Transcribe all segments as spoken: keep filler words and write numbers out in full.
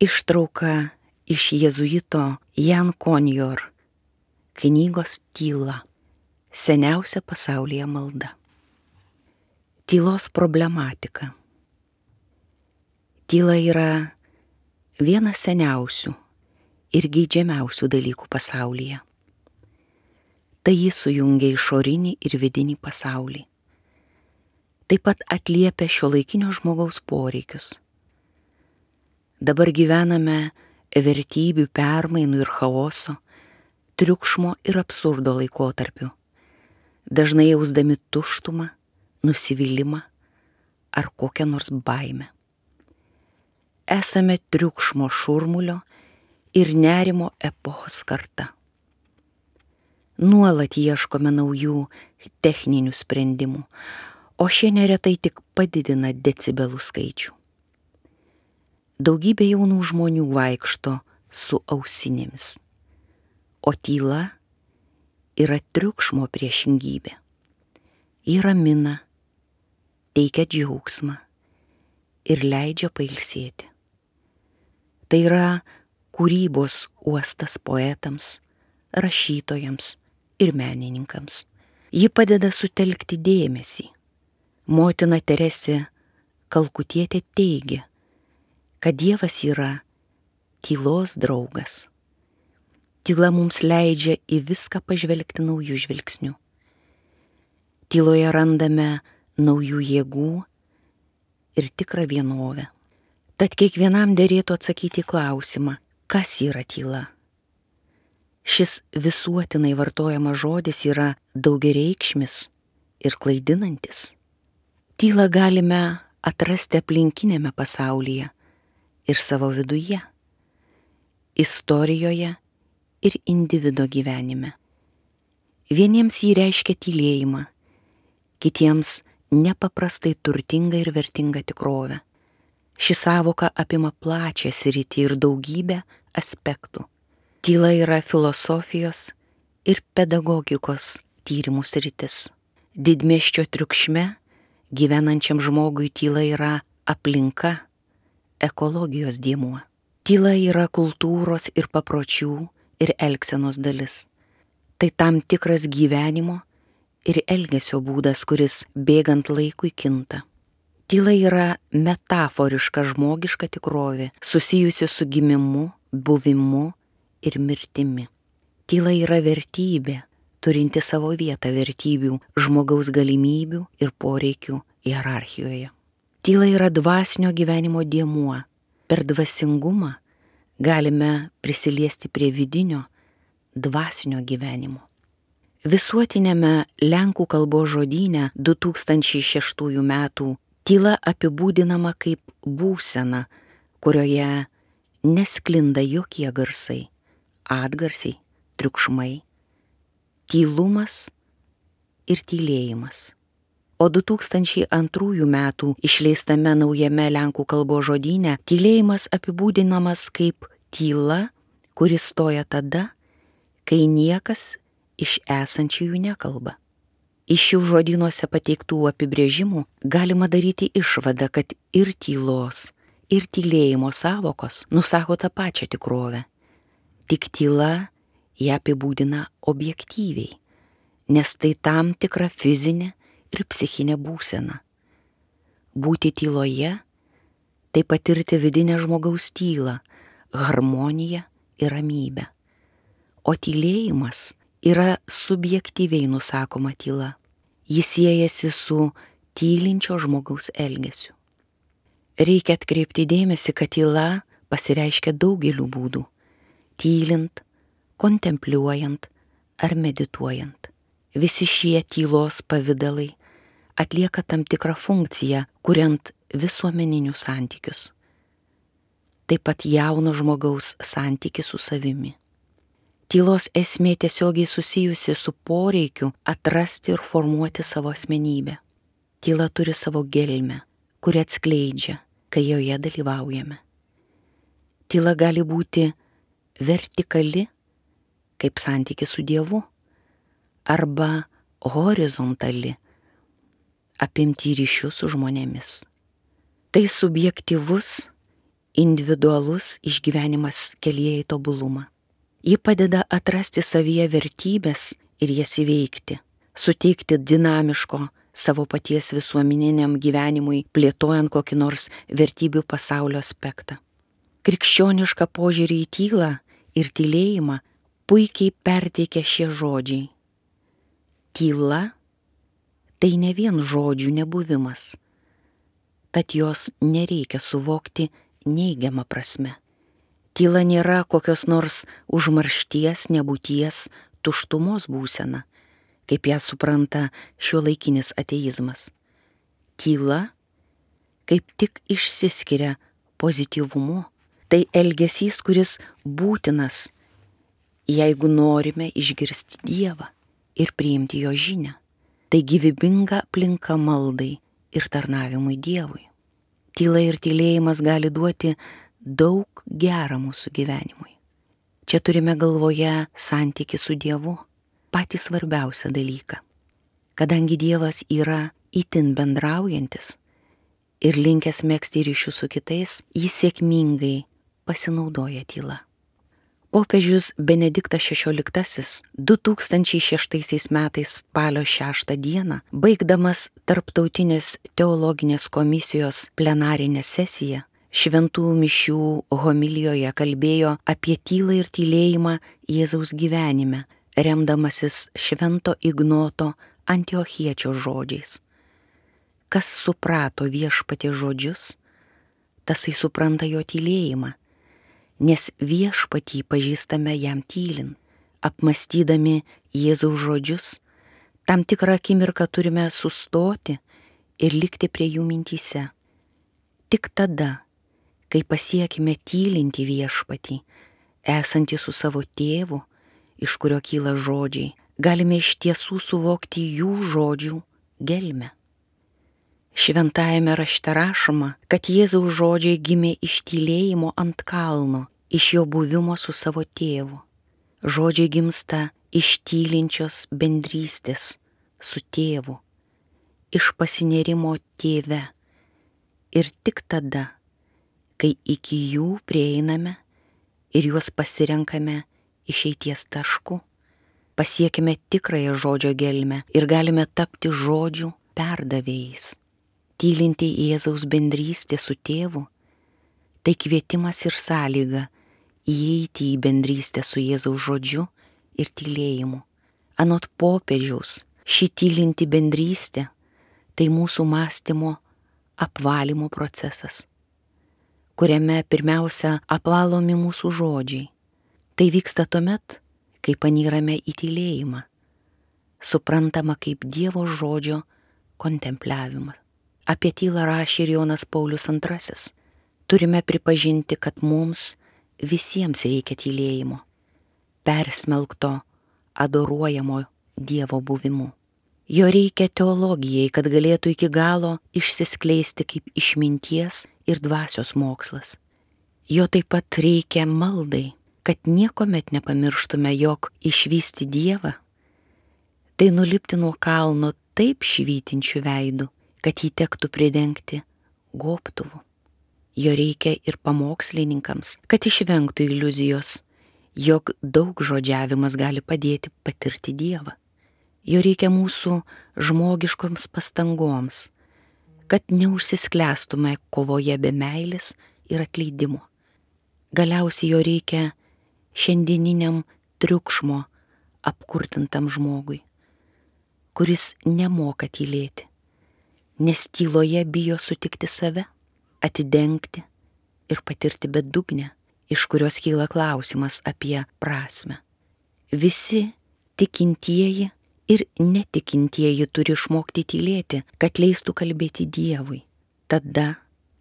Ištrauka iš jėzuito Jan Konjor knygos Tyla. Seniausia pasaulyje malda. Tylos problematika. Tyla yra vienas seniausių ir geidžiamiausių dalykų pasaulyje. Tai jis sujungia išorinį ir vidinį pasaulį. Taip pat atliepia šiuolaikinio žmogaus poreikius. Dabar gyvename vertybių permainų ir chaoso, triukšmo ir absurdo laikotarpiu, dažnai jausdami tuštumą, nusivylimą ar kokią nors baimę. Esame triukšmo šurmulio ir nerimo epochos karta. Nuolat ieškome naujų techninių sprendimų, o šie neretai tik padidina decibelų skaičių. Daugybė jaunų žmonių vaikšto su ausinėmis, o tyla yra triukšmo priešingybė. Ji ramina, teikia džiaugsmą ir leidžia pailsėti. Tai yra kūrybos uostas poetams, rašytojams ir menininkams. Ji padeda sutelkti dėmesį. Motina Teresė Kalkutietė teigia, kad Dievas yra tylos draugas. Tyla mums leidžia į viską pažvelgti naujų žvilgsnių. Tyloje randame naujų jėgų ir tikrą vienovę. Tad kiekvienam derėtų atsakyti į klausimą, kas yra tyla. Šis visuotinai vartojamas žodis yra daugiareikšmis ir klaidinantis. Tylą galime atrasti aplinkinėme pasaulyje ir savo viduje, istorijoje ir individo gyvenime. Vieniems jį reiškia tylėjimą, kitiems nepaprastai turtingą ir vertingą tikrovę. Ši sąvoka apima plačią sritį ir daugybę aspektų. Tyla yra filosofijos ir pedagogikos tyrimų sritis. Didmiesčio triukšme gyvenančiam žmogui tyla yra aplinka, ekologijos dėmuo. Tyla yra kultūros ir papročių ir elgsenos dalis. Tai tam tikras gyvenimo ir elgesio būdas, kuris bėgant laikui kinta. Tyla yra metaforiška žmogiška tikrovė, susijusi su gimimu, buvimu ir mirtimi. Tyla yra vertybė, turinti savo vietą vertybių, žmogaus galimybių ir poreikių hierarchijoje. Tyla yra dvasinio gyvenimo dėmuo. Per dvasingumą galime prisiliesti prie vidinio, dvasinio gyvenimo. Visuotinėme lenkų kalbos žodyne du tūkstančiai šeštųjų metų tyla apibūdinama kaip būsena, kurioje nesklinda jokie garsai, atgarsiai, triukšmai, tylumas ir tylėjimas. O du tūkstančiai antrųjų metų išleistame naujame lenkų kalbos žodyne tylėjimas apibūdinamas kaip tyla, kuri stoja tada, kai niekas iš esančiųjų nekalba. Iš šių žodynuose pateiktų apibrėžimų galima daryti išvadą, kad ir tylos, ir tylėjimo sąvokos nusako tą pačią tikrovę. Tik tyla ją apibūdina objektyviai, nes tai tam tikra fizinė ir psichinė būsena. Būti tyloje – tai patirti vidinę žmogaus tylą, harmoniją ir ramybę. O tylėjimas yra subjektyviai nusakoma tyla. Jis siejasi su tylinčio žmogaus elgesiu. Reikia atkreipti dėmesį, kad tyla pasireiškia daugeliu būdų – tylint, kontempliuojant ar medituojant. Visi šie tylos pavidalai atlieka tam tikrą funkciją, kuriant visuomeninius santykius. Taip pat jauno žmogaus santykį su savimi. Tylos esmė tiesiogiai susijusi su poreikiu atrasti ir formuoti savo asmenybę. Tyla turi savo gelmę, kuri atskleidžia, kai joje dalyvaujame. Tyla gali būti vertikali, kaip santykis su Dievu, arba horizontali, apimti ryšių su žmonėmis. Tai subjektyvus individualus išgyvenimas kelyje į tobulumą. Ji padeda atrasti savyje vertybės ir jas įveikti, suteikti dinamiško savo paties visuomeniniam gyvenimui, plėtojant kokį nors vertybių pasaulio aspektą. Krikščionišką požiūrį į tylą ir tylėjimą puikiai perteikia šie žodžiai. Tyla tai ne vien žodžių nebuvimas, tad jos nereikia suvokti neigiamą prasme. Tyla nėra kokios nors užmaršties, nebūties, tuštumos būsena, kaip ją supranta šiuolaikinis ateizmas. Tyla kaip tik išsiskiria pozityvumu. Tai elgesys, kuris būtinas, jeigu norime išgirsti Dievą ir priimti jo žinią. Tai gyvybinga aplinka maldai ir tarnavimui Dievui. Tyla ir tylėjimas gali duoti daug gera mūsų gyvenimui. Čia turime galvoje santykį su Dievu, patį svarbiausią dalyką. Kadangi Dievas yra itin bendraujantis ir linkęs megzti ryšius su kitais, jis sėkmingai pasinaudoja tyla. Popiežius Benediktas šešioliktasis du tūkstančiai šeštaisiais metais spalio šeštą dieną, baigdamas Tarptautinės teologinės komisijos plenarinę sesiją, šventų mišių homilijoje kalbėjo apie tylą ir tylėjimą Jėzaus gyvenime, remdamasis švento Ignoto Antiochiečio žodžiais. Kas suprato Viešpaties žodžius, tasai supranta jo tylėjimą, nes Viešpatį pažįstame jam tylint. Apmąstydami Jėzaus žodžius, tam tikrą akimirką turime sustoti ir likti prie jų mintyse. Tik tada, kai pasiekime tylinti Viešpatį, esantį su savo tėvu, iš kurio kyla žodžiai, galime iš tiesų suvokti jų žodžių gelmę. Šventajame rašte rašoma, kad Jėzaus žodžiai gimė iš tylėjimo ant kalno, iš jo buvimo su savo tėvu. Žodžiai gimsta iš tylinčios bendrystės su tėvu, iš pasinėrimo tėve. Ir tik tada, kai iki jų prieiname ir juos pasirenkame išeities tašku, pasiekime tikrąją žodžio gelmę ir galime tapti žodžių perdavėjais. Tylinti Jėzaus bendrystė su tėvu, tai kvietimas ir sąlyga įeiti į bendrystę su Jėzaus žodžiu ir tylėjimu. Anot popiežiaus, ši tylinti bendrystė tai mūsų mąstymo apvalymo procesas, kuriame pirmiausia apvalomi mūsų žodžiai. Tai vyksta tuomet, kai panyrame į tylėjimą, suprantama kaip Dievo žodžio kontempliavimas. Apie tylą rašė ir Jonas Paulius antrasis. Turime pripažinti, kad mums visiems reikia tylėjimo, persmelkto adoruojamo Dievo buvimu. Jo reikia teologijai, kad galėtų iki galo išsiskleisti kaip išminties ir dvasios mokslas. Jo taip pat reikia maldai, kad niekuomet nepamirštume, jog išvysti Dievą, tai nulipti nuo kalno taip švytinčių veidų, kad jį tektų pridengti gobtuvu. Jo reikia ir pamokslininkams, kad išvengtų iliuzijos, jog daug žodžiavimas gali padėti patirti Dievą. Jo reikia mūsų žmogiškoms pastangoms, kad neužsisklęstume kovoje be meilės ir atleidimo. Galiausiai jo reikia šiandieniniam triukšmo apkurtintam žmogui, kuris nemoka tylėti, nes tyloje bijo sutikti save, atidengti ir patirti bedugnę, iš kurios kyla klausimas apie prasmę. Visi tikintieji ir netikintieji turi išmokti tylėti, kad leistų kalbėti Dievui, tada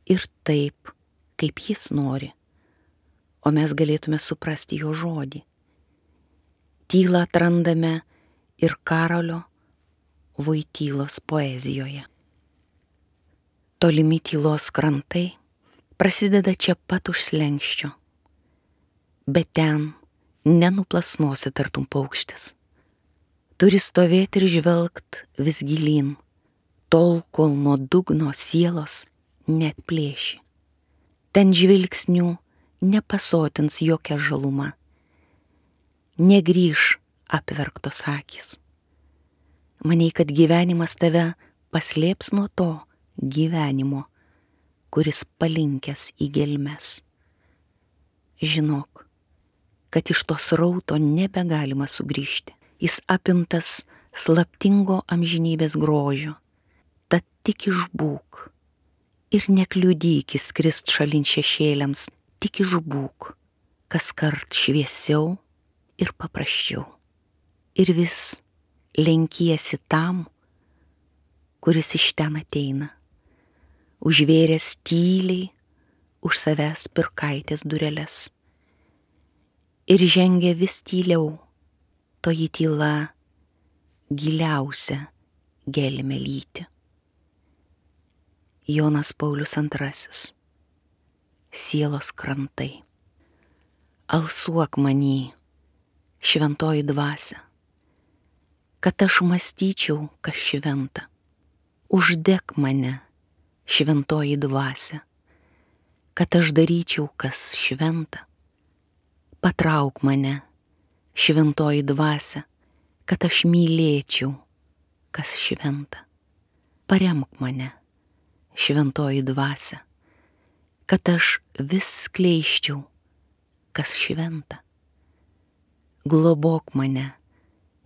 ir taip, kaip jis nori, o mes galėtume suprasti jo žodį. Tylą atrandame ir Karolio Voitylos poezijoje. Tolimi tylos krantai prasideda čia pat už slenksčio, bet ten nenuplasnosi tartum paukštis. Turi stovėti ir žvelgt vis gilyn, tol kol nuo dugno sielos neatplėši. Ten žvilgsnių nepasotins jokia žaluma. Negrįž apverktos akys. Manei, kad gyvenimas tave paslėps nuo to gyvenimo, kuris palinkęs į gelmes. Žinok, kad iš to srauto nebegalima sugrįžti. Jis apimtas slaptingo amžinybės grožio. Tad tik išbūk ir nekliudyk įskrist šalin šešėliams, tik išbūk, kaskart šviesiau ir paprasčiau. Ir vis lenkiesi tam, kuris iš ten ateina, užvėręs tyliai už savęs pirkaitės dureles. Ir žengia vis tyliau, toji tyla giliausia gelmę lyti. Jonas Paulius antrasis. Sielos krantai. Alsuok many, šventoji dvasia, kad aš mąstyčiau, kas šventa. Uždek mane, šventoji dvasia, kad aš daryčiau, kas šventa. Patrauk mane, šventoji dvasia, kad aš mylėčiau, kas šventa. Paremk mane, šventoji dvasia, kad aš vis skleisčiau, kas šventa. Globok mane,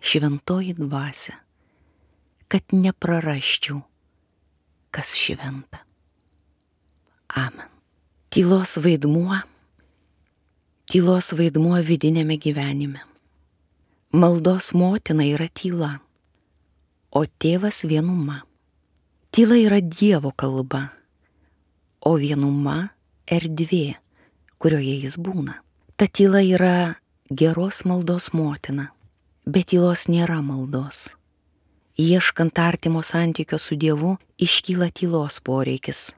šventoji dvasia, kad neprarasčiau, kas šventa. Amen. Tylos vaidmuo, tylos vaidmuo vidinėme gyvenime. Maldos motina yra tyla, o tėvas vienuma. Tyla yra Dievo kalba, o vienuma erdvė, kurioje jis būna. Ta tyla yra geros maldos motina, bet tylos nėra maldos. Ieškant artimo santykio su Dievu iškyla tylos poreikis.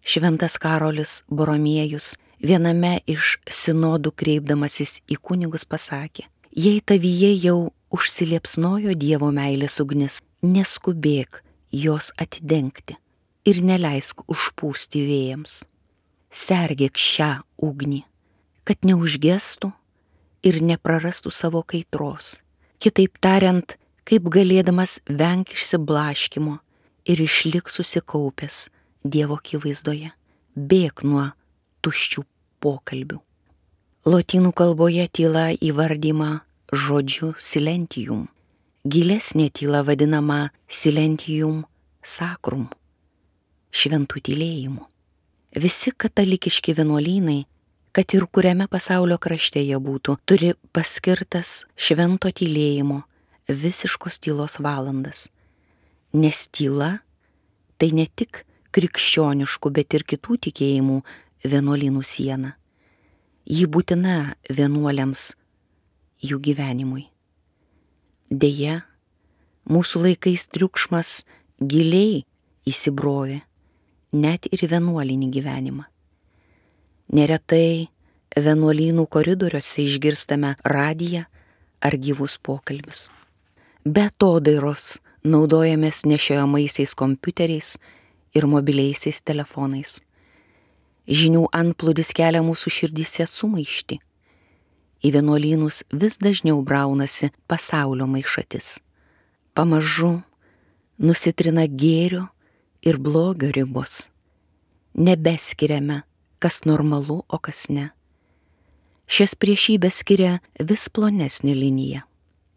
Šventas Karolis Boromiejus viename iš sinodų kreipdamasis į kunigus pasakė: jei tavyje jau užsiliepsnojo Dievo meilės ugnis, neskubėk jos atidengti ir neleisk užpūsti vėjams. Sergėk šią ugnį, kad neužgestų ir neprarastų savo kaitros. Kitaip tariant, kaip galėdamas venk išsiblaškimo ir išlik susikaupęs Dievo akivaizdoje, bėk nuo tuščių pokalbių. Lotynų kalboje tyla įvardyma žodžiu silentium. Gilesnė tyla vadinama silentium sacrum, šventų tylėjimu. Visi katalikiški vienuolynai, kad ir kuriame pasaulio krašte jie būtų, turi paskirtas švento tylėjimo, visiškos tylos valandas. Nes tyla tai ne tik krikščioniškų, bet ir kitų tikėjimų vienuolynų siena. Ji būtina vienuoliams jų gyvenimui. Deja, mūsų laikais triukšmas giliai įsibrovė net ir vienuolinį gyvenimą. Neretai vienuolynų koridoriuose išgirstame radiją ar gyvus pokalbius. Be atodairos naudojamės nešiojamaisiais kompiuteriais ir mobiliaisiais telefonais. Žinių antplūdis kelia mūsų širdyse sumaištį. Į vienuolynus vis dažniau braunasi pasaulio maišatis. Pamažu nusitrina gėrio ir blogio ribos. Nebeskiriame, kas normalu, o kas ne. Šias priešybės skiria vis plonesnė linija.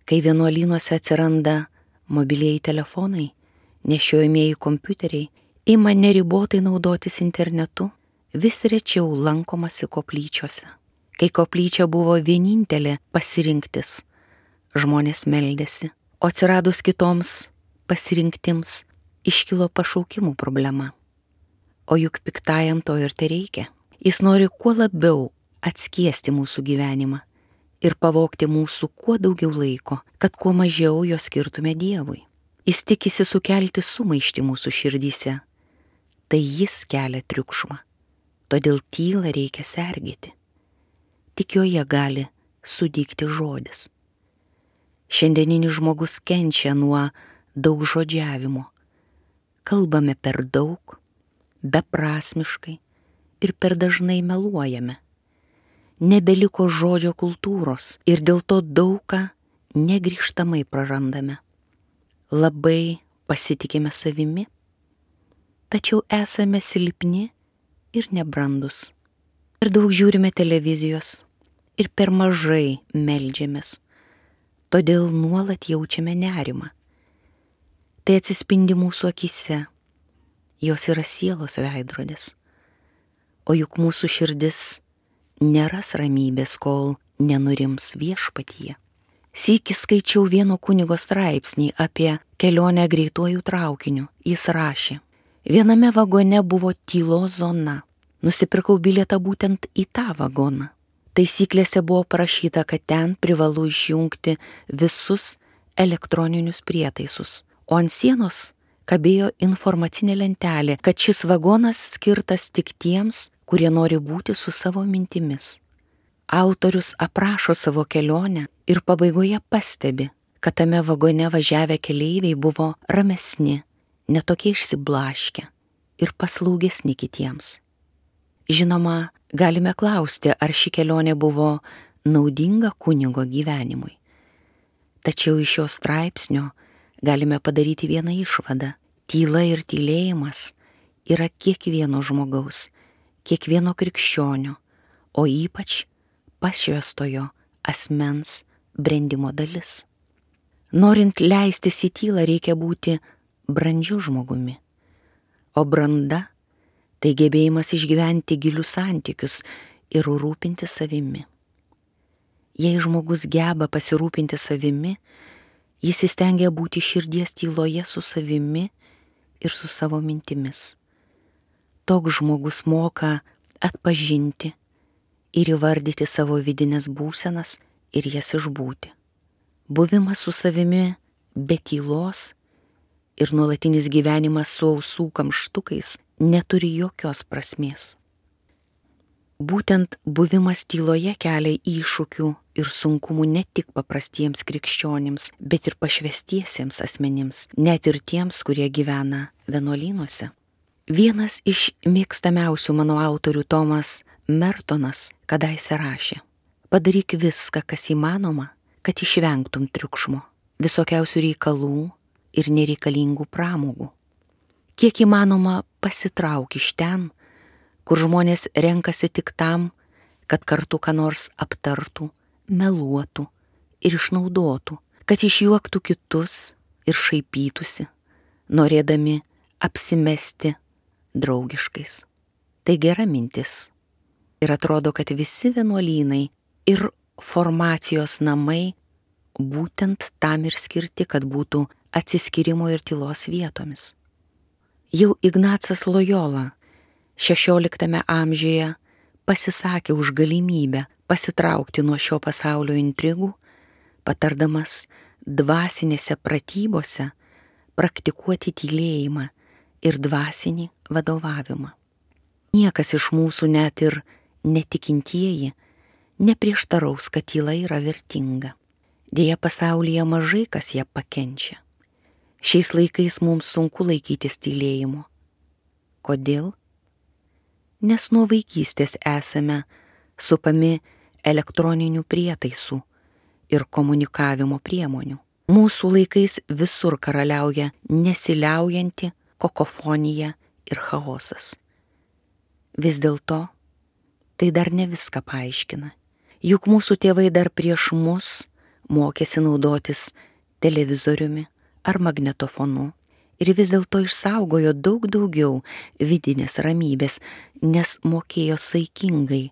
Kai vienuolynuose atsiranda mobilieji telefonai, nešiojamieji kompiuteriai, ima neribotai naudotis internetu, vis rečiau lankomasi koplyčiose. Kai koplyčia buvo vienintelė pasirinktis, žmonės meldėsi, o atsiradus kitoms pasirinktims iškilo pašaukimų problema. O juk piktajam to ir tereikia. Jis nori kuo labiau atskiesti mūsų gyvenimą ir pavogti mūsų kuo daugiau laiko, kad kuo mažiau jo skirtume Dievui. Jis tikisi sukelti sumaištį mūsų širdyse. Tai jis kelia triukšmą, todėl tylą reikia sergėti. Tik joje gali sudygti žodis. Šiandieninis žmogus kenčia nuo daug žodžiavimo. Kalbame per daug, beprasmiškai ir per dažnai meluojame. Nebeliko žodžio kultūros ir dėl to daugą negrįžtamai prarandame. Labai pasitikime savimi, tačiau esame silpni ir nebrandus. Per daug žiūrime televizijos ir per mažai meldžiamės, todėl nuolat jaučiame nerimą. Tai atsispindi mūsų akyse, jos yra sielos veidrodis, o juk mūsų širdis neras ramybės, kol nenurims viešpatyje. Sykį skaičiau vieno kunigo straipsnį apie kelionę greituoju traukiniu. Jis rašė: viename vagone buvo tylos zona. Nusipirkau bilietą būtent į tą vagoną. Taisyklėse buvo parašyta, kad ten privalu išjungti visus elektroninius prietaisus, o ant sienos kabėjo informacinė lentelė, kad šis vagonas skirtas tik tiems, kurie nori būti su savo mintimis. Autorius aprašo savo kelionę ir pabaigoje pastebi, kad tame vagone važiavę keleiviai buvo ramesni, netokie išsiblaškę ir paslaugesni kitiems. Žinoma, galime klausti, ar ši kelionė buvo naudinga kunigo gyvenimui. Tačiau iš šio straipsnio galime padaryti vieną išvadą. Tyla ir tylėjimas yra kiekvieno žmogaus, kiekvieno krikščionio, o ypač pašvęstojo asmens brendimo dalis. Norint leistis į tylą, reikia būti brandžiu žmogumi, o branda tai gebėjimas išgyventi gilius santykius ir rūpinti savimi. Jei žmogus geba pasirūpinti savimi, jis įstengia būti širdies tyloje su savimi ir su savo mintimis. Toks žmogus moka atpažinti ir įvardyti savo vidinės būsenas ir jas išbūti. Buvimas su savimi be tylos ir nuolatinis gyvenimas su ausų kamštukais neturi jokios prasmės. Būtent buvimas tyloje kelia iššūkių ir sunkumų ne tik paprastiems krikščionims, bet ir pašvęstiesiems asmenims, net ir tiems, kurie gyvena vienuolynuose. Vienas iš mėgstamiausių mano autorių, Tomas Mertonas, kadaise rašė: padaryk viską, kas įmanoma, kad išvengtum triukšmo, visokiausių reikalų ir nereikalingų pramogų. Kiek įmanoma pasitrauk iš ten, kur žmonės renkasi tik tam, kad kartu ką nors aptartų, meluotų ir išnaudotų, kad išjuoktų kitus ir šaipytųsi, norėdami apsimesti draugiškais. Tai gera mintis. Ir atrodo, kad visi vienuolynai ir formacijos namai būtent tam ir skirti, kad būtų atsiskyrimo ir tylos vietomis. Jau Ignacas Lojola šešioliktame amžiuje pasisakė už galimybę pasitraukti nuo šio pasaulio intrigų, patardamas dvasinėse pratybose praktikuoti tylėjimą ir dvasinį vadovavimą. Niekas iš mūsų, net ir netikintieji, neprieštaraus, kad tyla yra vertinga. Deja, pasaulyje mažai kas ją pakenčia. Šiais laikais mums sunku laikytis tylėjimo. Kodėl? Nes nuo vaikystės esame supami elektroninių prietaisų ir komunikavimo priemonių. Mūsų laikais visur karaliauja nesiliaujanti kokofonija ir chaosas. Vis dėlto tai dar ne viską paaiškina. Juk mūsų tėvai dar prieš mus mokėsi naudotis televizoriumi ar magnetofonu ir vis dėlto išsaugojo daug daugiau vidinės ramybės, nes mokėjo saikingai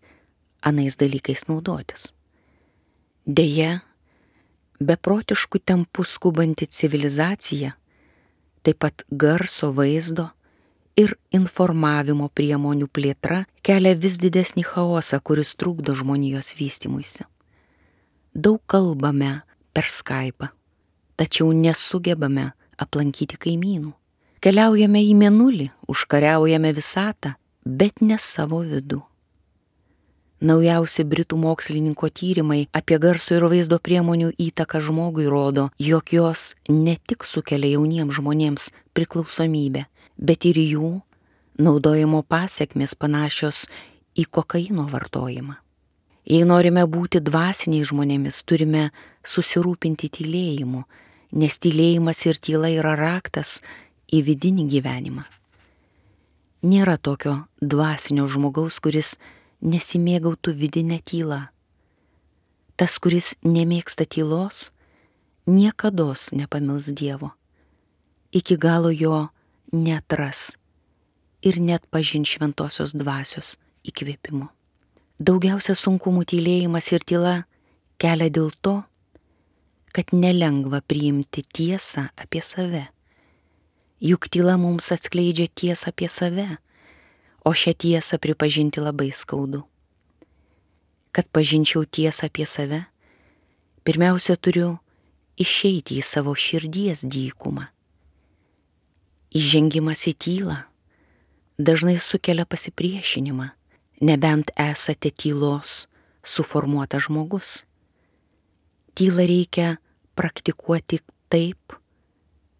anais dalykais naudotis. Deja, beprotiškų tempų skubanti civilizacija, taip pat garso, vaizdo ir informavimo priemonių plėtra kelia vis didesnį chaosą, kuris trukdo žmonijos vystymuisi. Daug kalbame per Skype'ą, tačiau nesugebame aplankyti kaimynų. Keliaujame į mėnulį, užkariaujame visatą, bet ne savo vidų. Naujausi britų mokslininko tyrimai apie garso ir vaizdo priemonių įtaką žmogui rodo, jog jos ne tik sukelia jauniems žmonėms priklausomybę, bet ir jų Naudojimo pasiekmės panašios į kokaino vartojimą. Jei norime būti dvasiniai žmonėmis, turime susirūpinti tylėjimu, nes tylėjimas ir tyla yra raktas į vidinį gyvenimą. Nėra tokio dvasinio žmogaus, kuris nesimėgautų vidinę tylą. Tas, kuris nemėgsta tylos, niekados nepamils Dievo. Iki galo jo neatras ir net pažin šventosios dvasios įkvėpimo. Daugiausia sunkumų tylėjimas ir tyla kelia dėl to, kad nelengva priimti tiesą apie save. Juk tyla mums atskleidžia tiesą apie save, o šią tiesą pripažinti labai skaudu. Kad pažinčiau tiesą apie save, pirmiausia turiu išeiti į savo širdies dykumą. Įžengimas į tylą dažnai sukelia pasipriešinimą, nebent esate tylos suformuotas žmogus. Tylą reikia praktikuoti taip,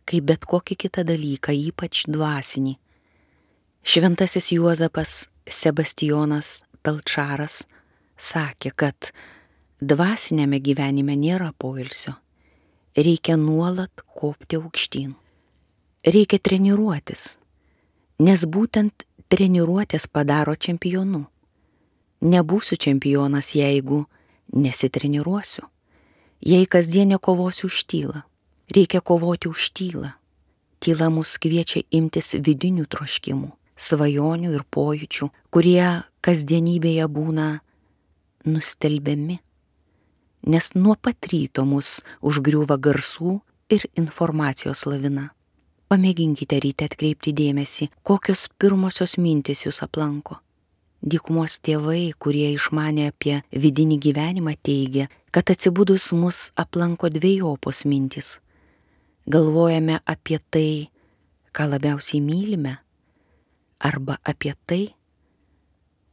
kaip bet kokį kitą dalyką, ypač dvasinį. Šventasis Juozapas Sebastijonas Pelčaras sakė, kad dvasinėme gyvenime nėra poilsio, reikia nuolat kopti aukštyn. Reikia treniruotis, nes būtent treniruotės padaro čempionu. Nebūsiu čempionas, jeigu nesitreniruosiu. Jei kasdien nekovosiu už tylą, reikia kovoti už tylą. Tyla mus kviečia imtis vidinių troškimų, svajonių ir pojūčių, kurie kasdienybėje būna nustelbiami, nes nuo pat ryto mus užgriūva garsų ir informacijos lavina. Pamėginkite ryte atkreipti dėmesį, kokios pirmosios mintys jūs aplanko. Dykumos tėvai, kurie išmanė apie vidinį gyvenimą, teigia, kad atsibudus mus aplanko dvejopos mintys. Galvojame apie tai, ką labiausiai mylime, arba apie tai,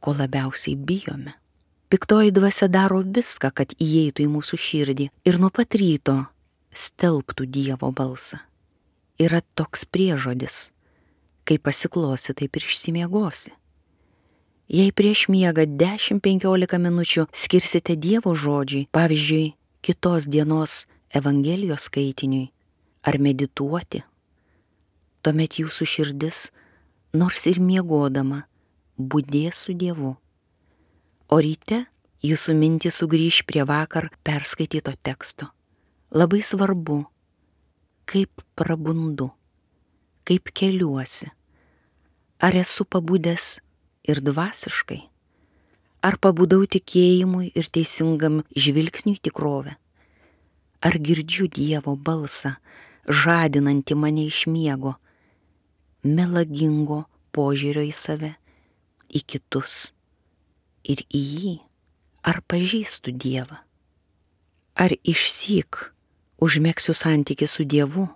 ko labiausiai bijome. Piktoji dvasia daro viską, kad įeitų į mūsų širdį ir nuo pat ryto stelbtų Dievo balsą. Yra toks priežodis, kai pasiklosi, taip ir išsimiegosi. Jei prieš miegą dešimt penkiolika minučių skirsite Dievo žodžiui, pavyzdžiui, kitos dienos Evangelijos skaitiniui, ar medituoti, tuomet jūsų širdis, nors ir miegodama, budės su Dievu. O ryte jūsų mintys sugrįš prie vakar perskaityto teksto. Labai svarbu, kaip prabundu, kaip keliuosi, ar esu pabudęs ir dvasiškai, ar pabudau tikėjimui ir teisingam žvilgsniui tikrovę, ar girdžiu Dievo balsą, žadinantį mane iš miego, melagingo požiūrio į save, į kitus ir į jį, ar pažįstu Dievą, ar išsyk užmegsiu santykį su Dievu,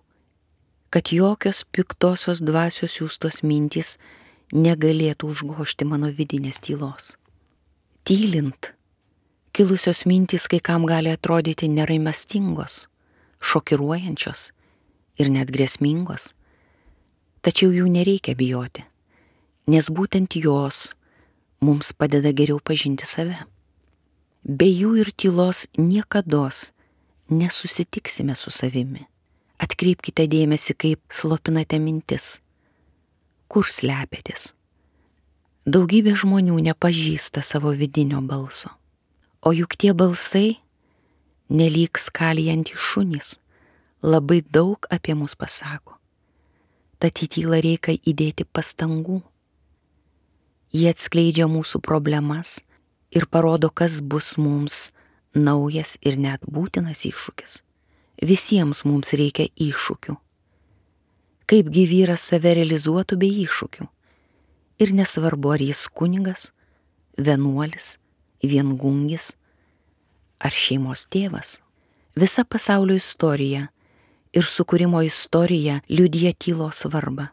kad jokios piktosios dvasios siųstos mintys negalėtų užgožti mano vidinės tylos. Tylint, kilusios mintys kai kam gali atrodyti neraimastingos, šokiruojančios ir net grėsmingos, tačiau jų nereikia bijoti, nes būtent jos mums padeda geriau pažinti save. Be jų ir tylos niekados nesusitiksime su savimi. Atkreipkite dėmesį, kaip slopinate mintis. Kur slepiatės? Daugybė žmonių nepažįsta savo vidinio balso. O juk tie balsai, nelyg skalijantys šunys, labai daug apie mus pasako. Tad į tylą reikia įdėti pastangų. Jie atskleidžia mūsų problemas ir parodo, kas bus mums naujas ir net būtinas iššūkis. Visiems mums reikia iššūkių. Kaipgi vyras save realizuotų be iššūkių. Ir nesvarbu, ar jis kunigas, vienuolis, viengungis ar šeimos tėvas. Visa pasaulio istorija ir sukūrimo istorija liudija tylos svarbą.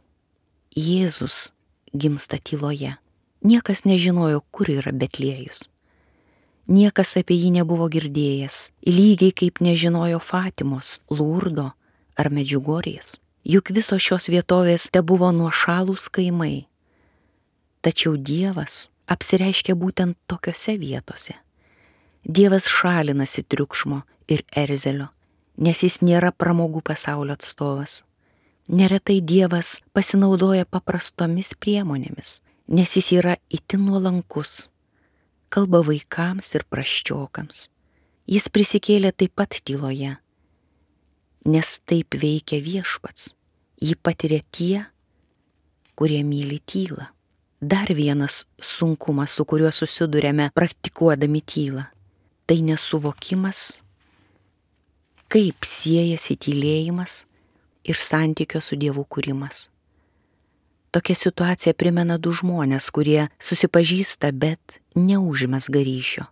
Jėzus gimsta tyloje. Niekas nežinojo, kur yra Betliejus. Niekas apie jį nebuvo girdėjęs, lygiai kaip nežinojo Fatimos, Lurdo ar Medžiugorės. Juk visos šios vietovės tebuvo nuošalūs kaimai. Tačiau Dievas apsireiškia būtent tokiose vietose. Dievas šalinasi triukšmo ir erzelio, nes jis nėra pramogų pasaulio atstovas. Neretai Dievas pasinaudoja paprastomis priemonėmis, nes jis yra itin nuolankus, kalba vaikams ir prasčiokams. Jis prisikėlė taip pat tyloje, nes taip veikia Viešpats. Jį patiria tie, kurie myli tylą. Dar vienas sunkumas, su kuriuo susidurėme praktikuodami tylą, tai nesuvokimas, kaip siejasi tylėjimas ir santykio su Dievu kūrimas. Tokia situacija primena du žmonės, kurie susipažįsta, bet neužmezga ryšio.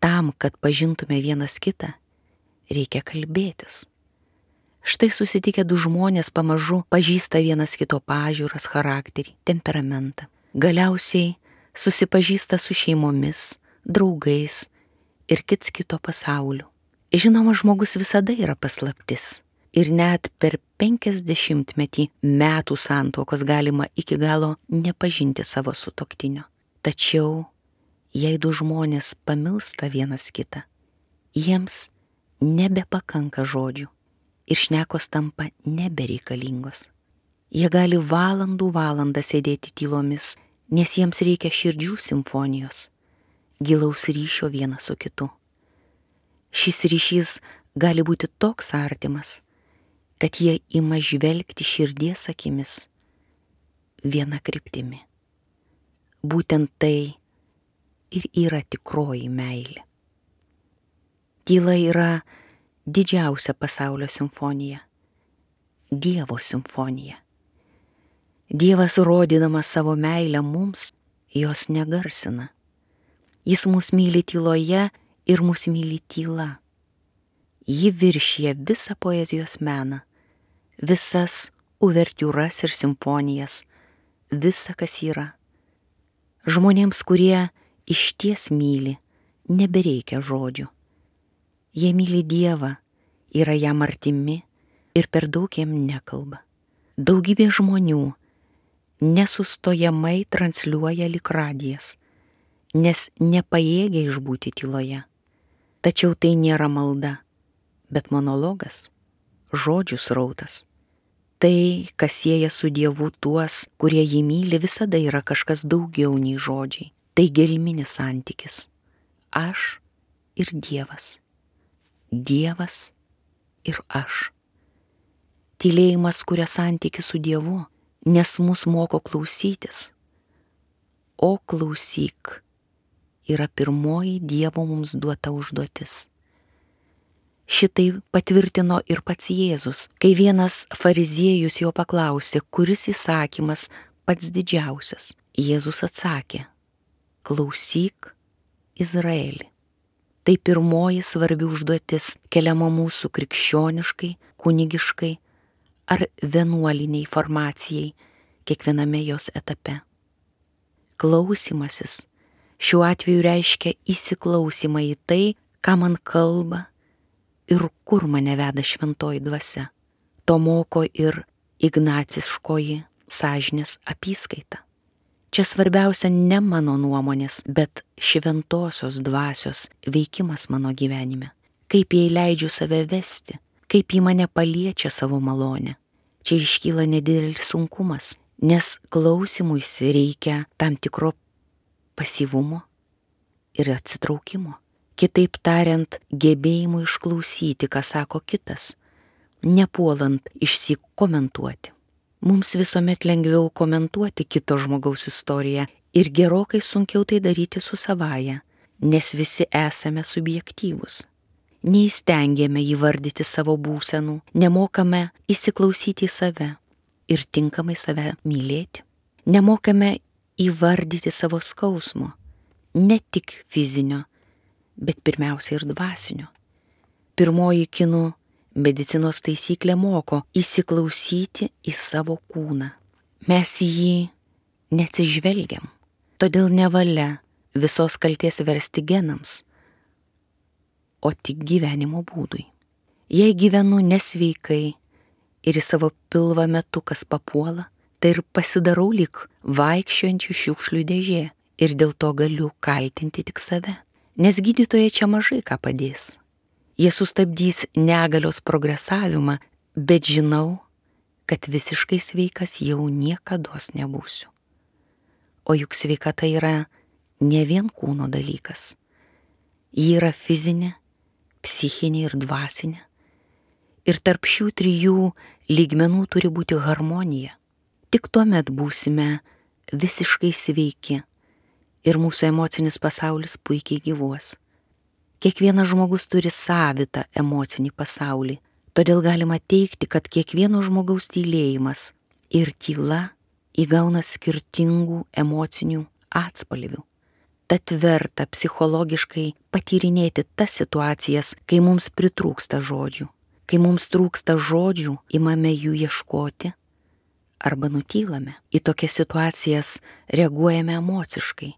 Tam, kad pažintume vienas kitą, reikia kalbėtis. Štai susitikę du žmonės pamažu pažįsta vienas kito pažiūras, charakterį, temperamentą. Galiausiai susipažįsta su šeimomis, draugais ir kits kito pasauliu. Žinoma, žmogus visada yra paslaptis. Ir net per penkiasdešimtmetį metų santuokos galima iki galo nepažinti savo sutuoktinio. Tačiau, jei du žmonės pamilsta vienas kitą, jiems nebepakanka žodžių ir šnekos tampa nebereikalingos. Jie gali valandų valandą sėdėti tylomis, nes jiems reikia širdžių simfonijos, gilaus ryšio vienas su kitu. Šis ryšys gali būti toks artimas, kad jie ima žvelgti širdies akimis viena kryptimi. Būtent tai ir yra tikroji meilė. Tyla yra didžiausia pasaulio simfonija, Dievo simfonija. Dievas, rodydamas savo meilę mums, jos negarsina. Jis mus myli tyloje ir mus myli tyla. Ji viršija visą poezijos meną, visas uvertiūras ir simfonijas, visa, kas yra. Žmonėms, kurie išties myli, nebereikia žodžių. Jie myli Dievą, yra jam artimi ir per daug jam nekalba. Daugybė žmonių nesustojamai transliuoja lyg radijas, nes nepajėgia išbūti tyloje. Tačiau tai nėra malda, bet monologas, žodžių srautas. Tai, kas sieja su Dievu tuos, kurie jį myli, visada yra kažkas daugiau nei žodžiai. Tai gelminis santykis. Aš ir Dievas. Dievas ir aš. Tylėjimas kuria santykį su Dievu, nes mus moko klausytis. O klausyk yra pirmoji Dievo mums duota užduotis. Šitai patvirtino ir pats Jėzus, kai vienas fariziejus jo paklausė, kuris įsakymas pats didžiausias. Jėzus atsakė: klausyk, Izraeli. Tai pirmoji svarbi užduotis keliama mūsų krikščioniškai, kunigiškai ar vienuoliniai formacijai kiekviename jos etape. Klausymasis šiuo atveju reiškia įsiklausymą į tai, ką man kalba ir kur mane veda šventoji dvasia. To moko ir ignaciškoji sąžinės apyskaita. Čia svarbiausia ne mano nuomonės, bet šventosios dvasios veikimas mano gyvenime. Kaip jai leidžiu save vesti, kaip ji mane paliečia savo malonę. Čia iškyla nedidelis sunkumas, nes klausymuisi reikia tam tikro pasyvumo ir atsitraukimo. Kitaip tariant, gebėjimo išklausyti, ką sako kitas, nepuolant išsyk komentuoti. Mums visuomet lengviau komentuoti kito žmogaus istoriją ir gerokai sunkiau tai daryti su savaja, nes visi esame subjektyvūs. Neįstengiame įvardyti savo būsenų, nemokame įsiklausyti į save ir tinkamai save mylėti. Nemokame įvardyti savo skausmo, ne tik fizinio, bet pirmiausia ir dvasinio. Pirmoji kinų medicinos taisyklė moko įsiklausyti į savo kūną. Mes į jį neatsižvelgiam, todėl nevalia visos kaltės versti genams, o tik gyvenimo būdui. Jei gyvenu nesveikai ir į savo pilvą metu kas papuola, tai ir pasidarau lyg vaikščiojančių šiukšlių dėžė ir dėl to galiu kaltinti tik save. Nes gydytojai čia mažai ką padės. Jie sustabdys negalios progresavimą, bet žinau, kad visiškai sveikas jau niekados nebūsiu. O juk sveikata yra ne vien kūno dalykas. Ji yra fizinė, psichinė ir dvasinė. Ir tarp šių trijų lygmenų turi būti harmonija. Tik tuomet būsime visiškai sveiki ir mūsų emocinis pasaulis puikiai gyvuos. Kiekvienas žmogus turi savitą emocinį pasaulį, todėl galima teigti, kad kiekvieno žmogaus tylėjimas ir tyla įgauna skirtingų emocinių atspalvių. Tad verta psichologiškai patyrinėti tas situacijas, kai mums pritrūksta žodžių. Kai mums trūksta žodžių, imame jų ieškoti arba nutylame. Į tokias situacijas reaguojame emociškai.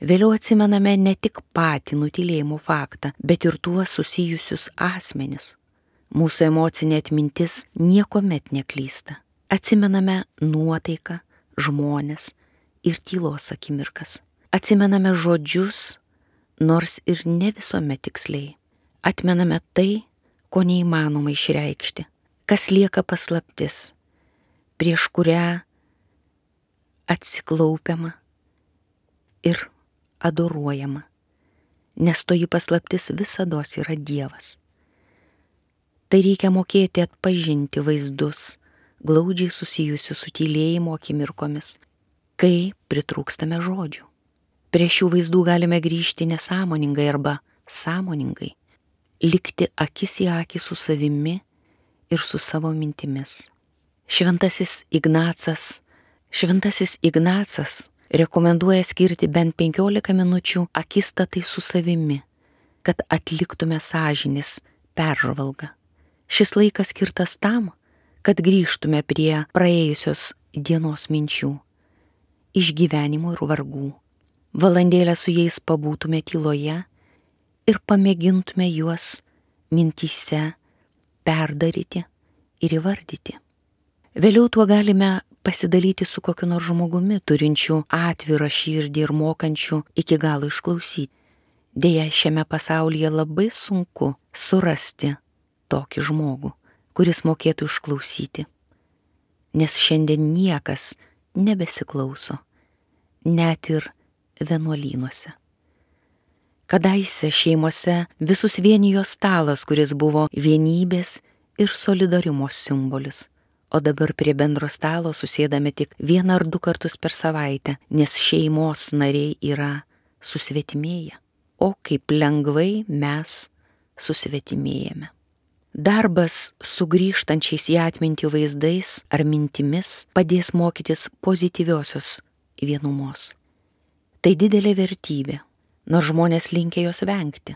Vėliau atsimename ne tik patį nutylėjimo faktą, bet ir tuos susijusius asmenis. Mūsų emocinė atmintis niekuomet neklysta. Atsimename nuotaiką, žmones ir tylos akimirkas. Atsimename žodžius, nors ir ne visuomet tiksliai. Atmename tai, ko neįmanoma išreikšti, kas lieka paslaptis, prieš kurią atsiklaupiama ir adoruojama, nes toji paslaptis visados yra Dievas. Tai reikia mokėti atpažinti vaizdus, glaudžiai susijusius su tylėjimo akimirkomis, kai pritrūkstame žodžių. Prie šių vaizdų galime grįžti nesąmoningai arba sąmoningai, likti akis į akį su savimi ir su savo mintimis. Šventasis Ignacas, Šventasis Ignacas rekomenduoja skirti bent penkiolika minučių akistatai su savimi, kad atliktume sąžinės peržvalgą. Šis laikas skirtas tam, kad grįžtume prie praėjusios dienos minčių, išgyvenimų ir vargų. Valandėlę su jais pabūtume tyloje ir pamėgintume juos mintyse perdaryti ir įvardyti. Vėliau tuo galime pasidalyti su kokiu nors žmogumi, turinčiu atvirą širdį ir mokančiu iki galo išklausyti. Deja, šiame pasaulyje labai sunku surasti tokį žmogų, kuris mokėtų išklausyti, nes šiandien niekas nebesiklauso, net ir vienuolynuose. Kadaise šeimose visus vienijo stalas, kuris buvo vienybės ir solidarumo simbolis, o dabar prie bendro stalo susėdame tik vieną ar du kartus per savaitę, nes šeimos nariai yra susvetimėję. O kaip lengvai mes susvetimėjame. Darbas su grįžtančiais į atmintį vaizdais ar mintimis padės mokytis pozityviosios vienumos. Tai didelė vertybė, nors žmonės linkę jos vengti.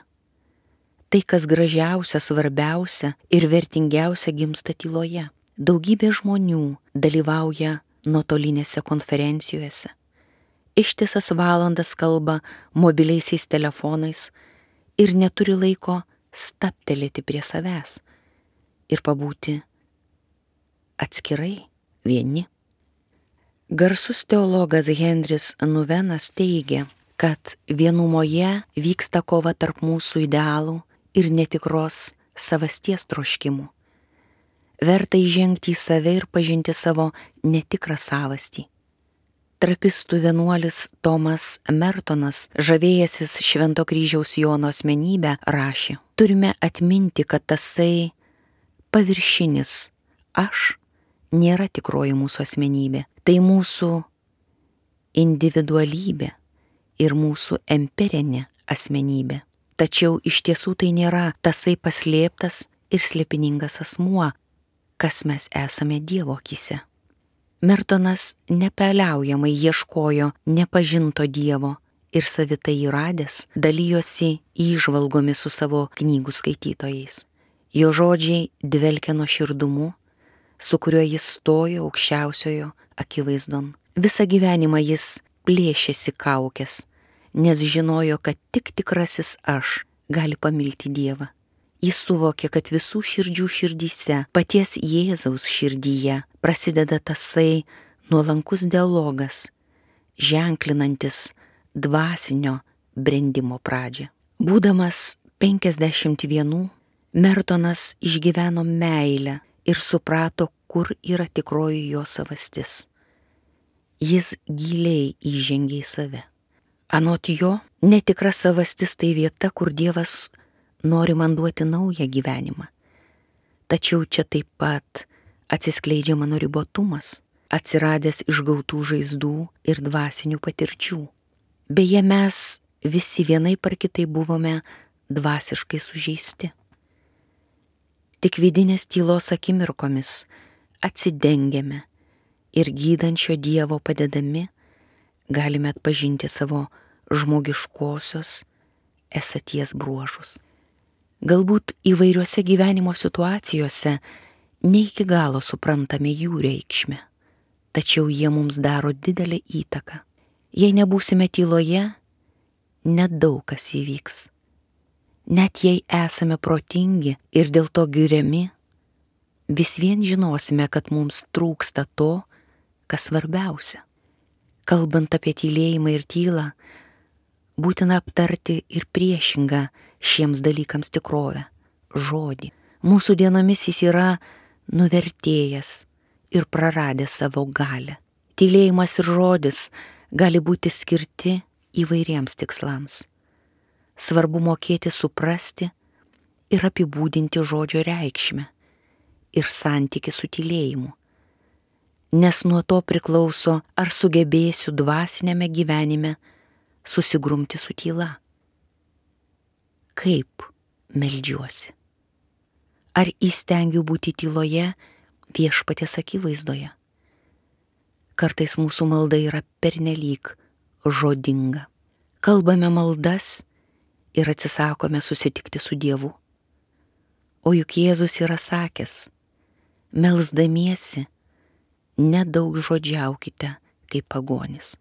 Tai, kas gražiausia, svarbiausia ir vertingiausia, gimsta tyloje. Daugybė žmonių dalyvauja nuotolinėse konferencijose. Ištisas valandas kalba mobiliaisiais telefonais ir neturi laiko stabtelėti prie savęs ir pabūti atskirai vieni. Garsus teologas Henris Nuvenas teigia, kad vienumoje vyksta kova tarp mūsų idealų ir netikros savasties troškimų. Verta įžengti į save ir pažinti savo netikrą savastį. Trapistų vienuolis Tomas Mertonas, žavėjęsis Švento kryžiaus Jono asmenybę, rašė: turime atminti, kad tasai paviršinis aš nėra tikroji mūsų asmenybė. Tai mūsų individualybė ir mūsų emperinė asmenybė. Tačiau iš tiesų tai nėra tasai paslėptas ir slėpiningas asmuo, kas mes esame Dievo akyse. Mertonas nepaliaujamai ieškojo nepažinto Dievo ir savitai įradęs dalijosi įžvalgomis su savo knygų skaitytojais. Jo žodžiai dvelkia nuoširdumu, su kuriuo jis stojo aukščiausiojo akivaizdon. Visą gyvenimą jis plėšėsi kaukes, nes žinojo, kad tik tikrasis aš gali pamilti Dievą. Jis suvokė, kad visų širdžių širdyse, paties Jėzaus širdyje, prasideda tasai nuolankus dialogas, ženklinantis dvasinio brendimo pradžią. Būdamas penkiasdešimt vienų, Mertonas išgyveno meilę ir suprato, kur yra tikroji jo savastis. Jis giliai įžengė į save. Anot jo, netikra savastis tai vieta, kur Dievas nori man duoti naują gyvenimą. Tačiau čia taip pat atsiskleidžia mano ribotumas, atsiradęs iš gautų žaizdų ir dvasinių patirčių. Beje, mes visi vienaip ar kitaip buvome dvasiškai sužeisti. Tik vidinės tylos akimirkomis atsidengėme ir gydančio Dievo padedami galime atpažinti savo žmogiškosios esaties bruožus. Galbūt įvairiose gyvenimo situacijose ne iki galo suprantame jų reikšmę, tačiau jie mums daro didelę įtaką. Jei nebūsime tyloje, nedaug kas įvyks. Net jei esame protingi ir dėl to giriami, vis vien žinosime, kad mums trūksta to, kas svarbiausia. Kalbant apie tylėjimą ir tylą, būtina aptarti ir priešingą šiems dalykams tikrovę – žodį. Mūsų dienomis jis yra nuvertėjęs ir praradęs savo galią. Tylėjimas ir žodis gali būti skirti įvairiems tikslams. Svarbu mokėti suprasti ir apibūdinti žodžio reikšmę ir santykį su tylėjimu, nes nuo to priklauso, ar sugebėsiu dvasinėme gyvenime susigrumti su tyla. Kaip meldžiuosi? Ar įstengiu būti tyloje Viešpaties akivaizdoje? Kartais mūsų malda yra pernelyg žodinga. Kalbame maldas ir atsisakome susitikti su Dievu. O juk Jėzus yra sakęs, melsdamiesi, nedaug žodžiaukite kaip pagonis.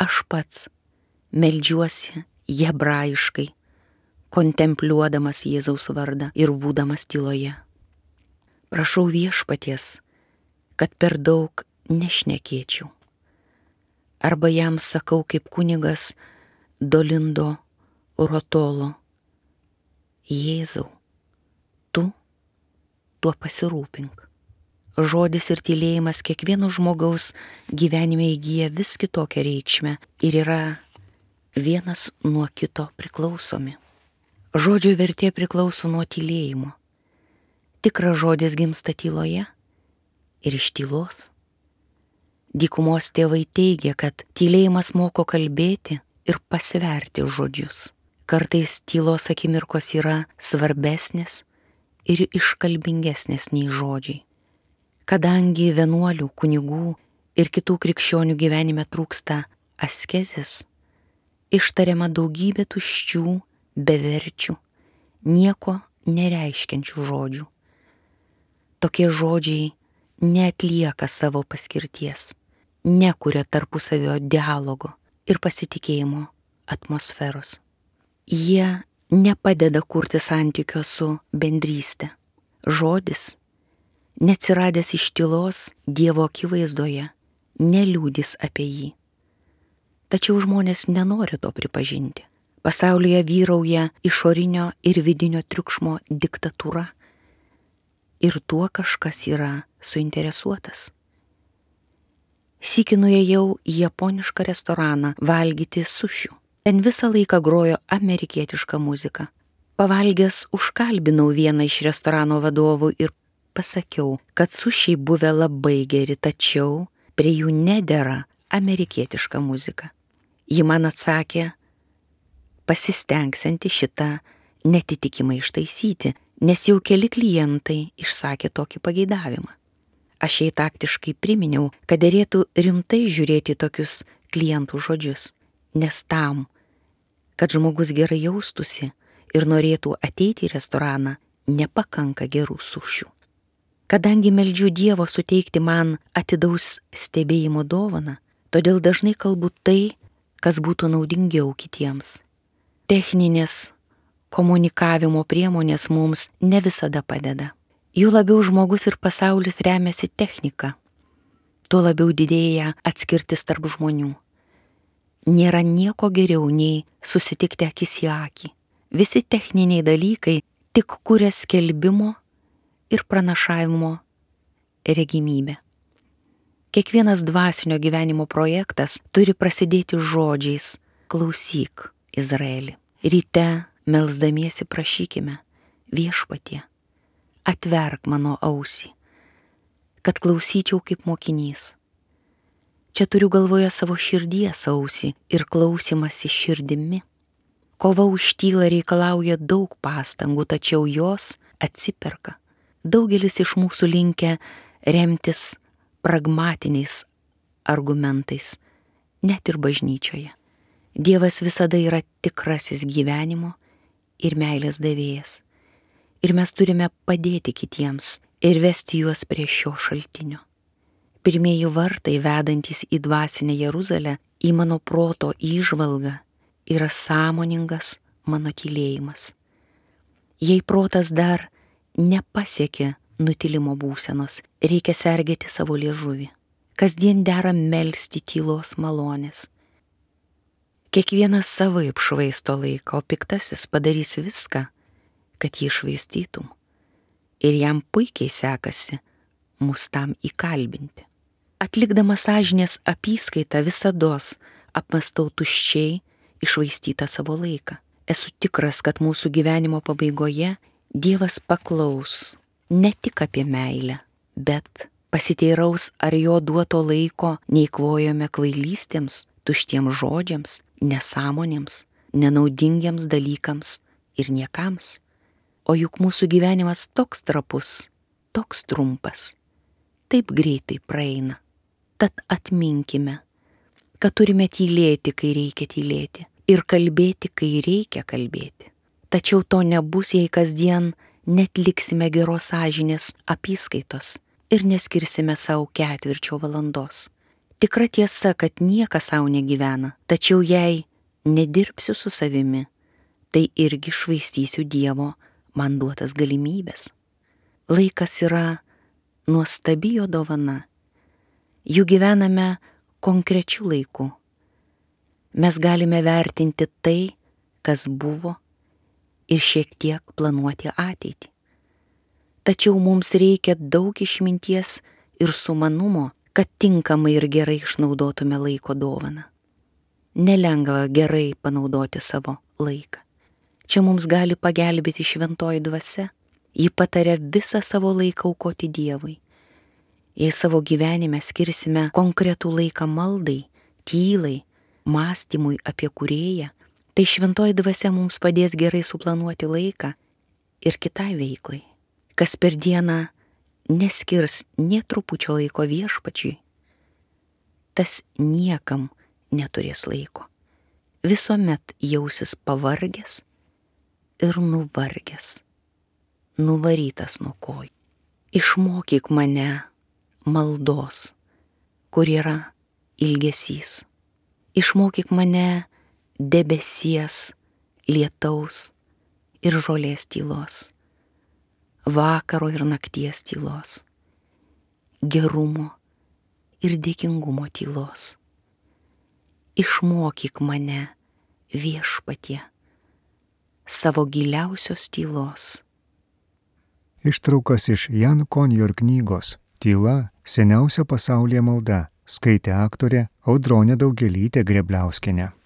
Aš pats meldžiuosi hebrajiškai, kontempliuodamas Jėzaus vardą ir būdamas tyloje. Prašau Viešpaties, kad per daug nešnekėčiau. Arba jam sakau kaip kunigas Dolindo Rotolo, Jėzau, tu tuo pasirūpink. Žodis ir tylėjimas kiekvieno žmogaus gyvenime įgyja vis kitokią reikšmę ir yra vienas nuo kito priklausomi. Žodžio vertė priklauso nuo tylėjimo. Tikras žodis gimsta tyloje ir iš tylos. Dykumos tėvai teigia, kad tylėjimas moko kalbėti ir pasverti žodžius. Kartais tylos akimirkos yra svarbesnės ir iškalbingesnės nei žodžiai. Kadangi vienuolių, kunigų ir kitų krikščionių gyvenime trūksta askezės, ištariama daugybė tuščių, beverčių, nieko nereiškiančių žodžių. Tokie žodžiai neatlieka savo paskirties, nekuria tarpusavio dialogo ir pasitikėjimo atmosferos. Jie nepadeda kurti santykio su bendryste. Žodis, neatsiradęs iš tylos Dievo akivaizdoje, neliūdys apie jį. Tačiau žmonės nenori to pripažinti. Pasaulyje vyrauja išorinio ir vidinio triukšmo diktatūra ir tuo kažkas yra suinteresuotas. Sykį nuėjau į japonišką restoraną valgyti sušių. Ten visą laiką grojo amerikietiška muzika. Pavalgęs užkalbinau vieną iš restorano vadovų ir pasakiau, kad sušiai buvę labai geri, tačiau prie jų nedera amerikietiška muzika. Ji man atsakė, pasistengsianti šitą netitikimą ištaisyti, nes jau keli klientai išsakė tokį pageidavimą. Aš jai taktiškai priminiau, kad derėtų rimtai žiūrėti tokius klientų žodžius, nes tam, kad žmogus gerai jaustųsi ir norėtų ateiti į restoraną, nepakanka gerų sušių. Kadangi meldžiu Dievo suteikti man atidaus stebėjimo dovaną, todėl dažnai kalbu tai, kas būtų naudingiau kitiems. Techninės komunikavimo priemonės mums ne visada padeda. Jų labiau žmogus ir pasaulis remiasi technika. tuo labiau didėja atskirtis tarp žmonių. Nėra nieko geriau nei susitikti akis į akį. Visi techniniai dalykai tik kuria skelbimo ir pranašavimo regimybę. Kiekvienas dvasinio gyvenimo projektas turi prasidėti žodžiais: klausyk, Izraeli. Ryte melsdamiesi prašykime: Viešpatie, atverk mano ausį, kad klausyčiau kaip mokinys. Čia turiu galvoje savo širdies ausį ir klausimąsi širdimi. Kova už tylą reikalauja daug pastangų, tačiau jos atsiperka. Daugelis iš mūsų linkę remtis pragmatiniais argumentais, net ir bažnyčioje. Dievas visada yra tikrasis gyvenimo ir meilės davėjas. Ir mes turime padėti kitiems ir vesti juos prie šio šaltinio. Pirmieji vartai, vedantys į dvasinę Jeruzalę, į mano proto įžvalgą, yra sąmoningas mano tylėjimas. Jei protas dar nepasiekė nutilimo būsenos, reikia sergėti savo liežuvį. Kasdien dera melsti tylos malonės. Kiekvienas savaip švaisto laiką, o piktasis padarys viską, kad jį švaistytum. Ir jam puikiai sekasi mus tam įkalbinti. Atlikdamas sąžinės apyskaitą visados apmastau tuščiai iššvaistytą savo laiką. Esu tikras, kad mūsų gyvenimo pabaigoje Dievas paklaus ne tik apie meilę, bet pasiteiraus, ar jo duoto laiko neįkvojome kvailystėms, tuštiems žodžiams, nesąmonėms, nenaudingiems dalykams ir niekams. O juk mūsų gyvenimas toks trapus, toks trumpas, taip greitai praeina. Tad atminkime, kad turime tylėti, kai reikia tylėti, ir kalbėti, kai reikia kalbėti. Tačiau to nebus, jei kasdien netliksime geros sąžinės apyskaitos ir neskirsime savo ketvirčio valandos. Tikra tiesa, kad niekas savo negyvena, tačiau jei nedirbsiu su savimi, tai irgi švaistysiu Dievo man duotas galimybės. Laikas yra nuostabi jo dovana. Jų gyvename konkrečių laikų. Mes galime vertinti tai, kas buvo, ir šiek tiek planuoti ateitį. Tačiau mums reikia daug išminties ir sumanumo, kad tinkamai ir gerai išnaudotume laiko dovaną. Nelengva gerai panaudoti savo laiką. Čia mums gali pagelbėti šventoji dvasia. Ji pataria visą savo laiką aukoti Dievui. Jei savo gyvenime skirsime konkretų laiką maldai, tylai, mąstymui apie Kūrėją, tai šventoji dvasia mums padės gerai suplanuoti laiką ir kitai veiklai. Kas per dieną neskirs nė trupučio laiko Viešpačiui, tas niekam neturės laiko. Visuomet jausis pavargęs ir nuvargęs, nuvarytas nuo kojų. Išmokyk mane maldos, kur yra ilgesys. Išmokyk mane debesies, lietaus ir žolės tylos, vakaro ir nakties tylos, gerumo ir dėkingumo tylos. Išmokyk mane, Viešpatie, savo giliausios tylos. Ištraukas iš Jan Konjor knygos Tyla – seniausia pasaulyje malda, skaitė aktorė Audronė Daugelytė Grėbliauskienė.